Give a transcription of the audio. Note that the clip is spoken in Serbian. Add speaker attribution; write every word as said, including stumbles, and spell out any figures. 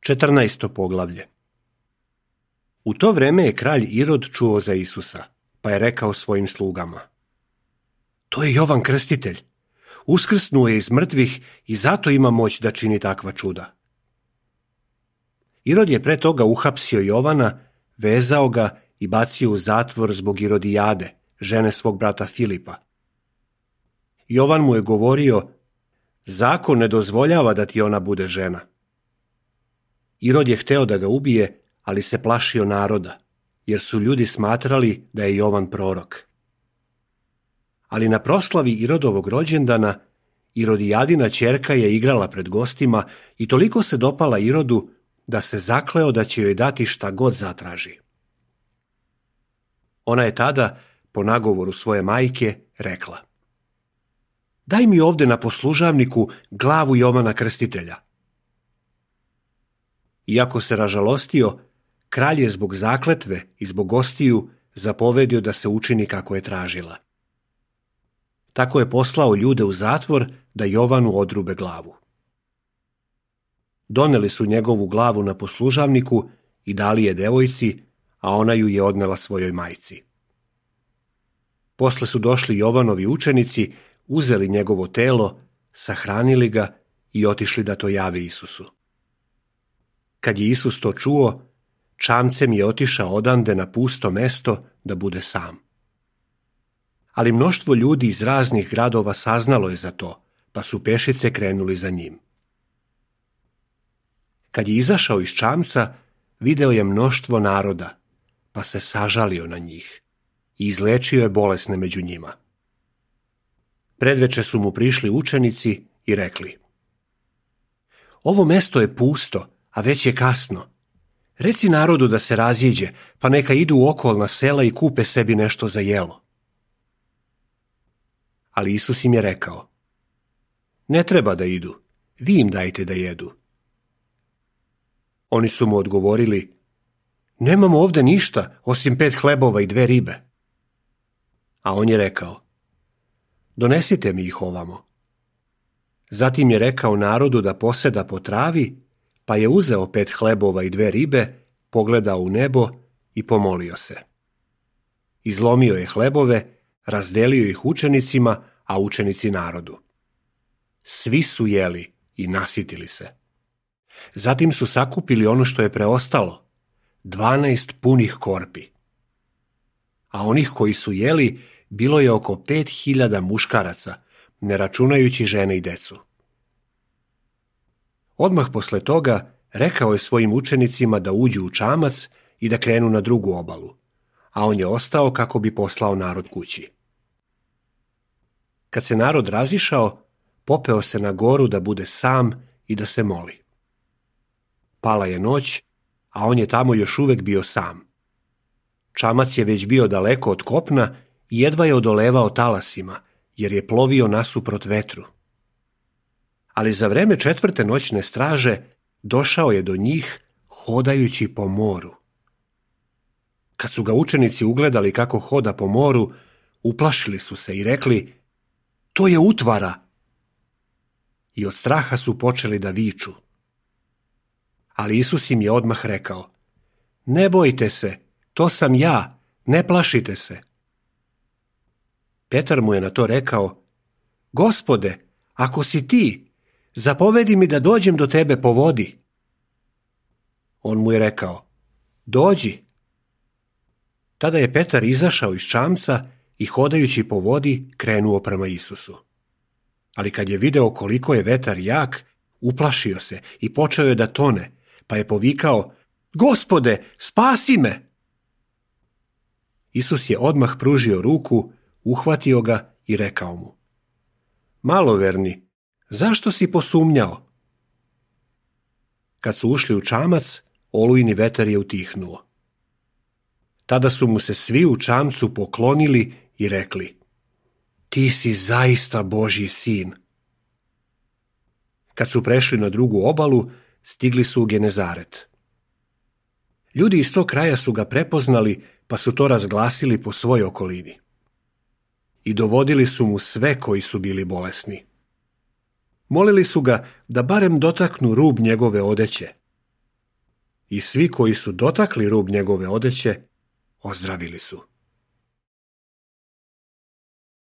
Speaker 1: Četrnaesto poglavlje. U to vreme je kralj Irod čuo za Isusa, pa je rekao svojim slugama: To je Jovan Krstitelj. Uskrsnuo je iz mrtvih i zato ima moć da čini takva čuda. Irod je pre toga uhapsio Jovana, vezao ga i bacio u zatvor zbog Irodijade, žene svog brata Filipa. Jovan mu je govorio: Zakon ne dozvoljava da ti ona bude žena. Irod je hteo da ga ubije, ali se plašio naroda, jer su ljudi smatrali da je Jovan prorok. Ali na proslavi Irodovog rođendana, Irodijadina ćerka je igrala pred gostima i toliko se dopala Irodu da se zakleo da će joj dati šta god zatraži. Ona je tada, po nagovoru svoje majke, rekla: Daj mi ovde na poslužavniku glavu Jovana Krstitelja. Iako se ražalostio, kralj je zbog zakletve i zbog gostiju zapovedio da se učini kako je tražila. Tako je poslao ljude u zatvor da Jovanu odrube glavu. Doneli su njegovu glavu na poslužavniku i dali je devojci, a ona ju je odnela svojoj majci. Posle su došli Jovanovi učenici, uzeli njegovo telo, sahranili ga i otišli da to jave Isusu. Kad je Isus to čuo, čamcem je otišao odande na pusto mesto da bude sam. Ali mnoštvo ljudi iz raznih gradova saznalo je za to, pa su pešice krenuli za njim. Kad je izašao iz čamca, video je mnoštvo naroda, pa se sažalio na njih i izlečio je bolesne među njima. Predveče su mu prišli učenici i rekli: Ovo mesto je pusto, a već je kasno. Reci narodu da se razjeđe, pa neka idu u okolna sela i kupe sebi nešto za jelo. Ali Isus im je rekao: Ne treba da idu, vi im dajte da jedu. Oni su mu odgovorili: Nemamo ovde ništa, osim pet hlebova i dve ribe. A on je rekao: Donesite mi ih ovamo. Zatim je rekao narodu da poseda po travi, pa je uzeo pet hlebova i dve ribe, pogledao u nebo i pomolio se. Izlomio je hlebove, razdelio ih učenicima, a učenici narodu. Svi su jeli i nasitili se. Zatim su sakupili ono što je preostalo, dvanaest punih korpi. A onih koji su jeli bilo je oko pet hiljada muškaraca, ne računajući žene i decu. Odmah posle toga rekao je svojim učenicima da uđu u čamac i da krenu na drugu obalu, a on je ostao kako bi poslao narod kući. Kad se narod razišao, popeo se na goru da bude sam i da se moli. Pala je noć, a on je tamo još uvek bio sam. Čamac je već bio daleko od kopna i jedva je odolevao talasima, jer je plovio nasuprot vetru. Ali za vreme četvrte noćne straže došao je do njih hodajući po moru. Kad su ga učenici ugledali kako hoda po moru, uplašili su se i rekli: To je utvara! I od straha su počeli da viču. Ali Isus im je odmah rekao: Ne bojte se, to sam ja, ne plašite se. Petar mu je na to rekao: Gospode, ako si ti, zapovedi mi da dođem do tebe po vodi. On mu je rekao: Dođi. Tada je Petar izašao iz čamca i hodajući po vodi krenuo prema Isusu. Ali kad je video koliko je vetar jak, uplašio se i počeo je da tone, pa je povikao: Gospode, spasi me! Isus je odmah pružio ruku, uhvatio ga i rekao mu: Maloverni, zašto si posumnjao? Kad su ušli u čamac, olujni vetar je utihnuo. Tada su mu se svi u čamcu poklonili i rekli: Ti si zaista Božji sin. Kad su prešli na drugu obalu, stigli su u Genezaret. Ljudi iz tog kraja su ga prepoznali, pa su to razglasili po svoj okolini. I dovodili su mu sve koji su bili bolesni. Molili su ga da barem dotaknu rub njegove odeće, i svi koji su dotakli rub njegove odeće, ozdravili su.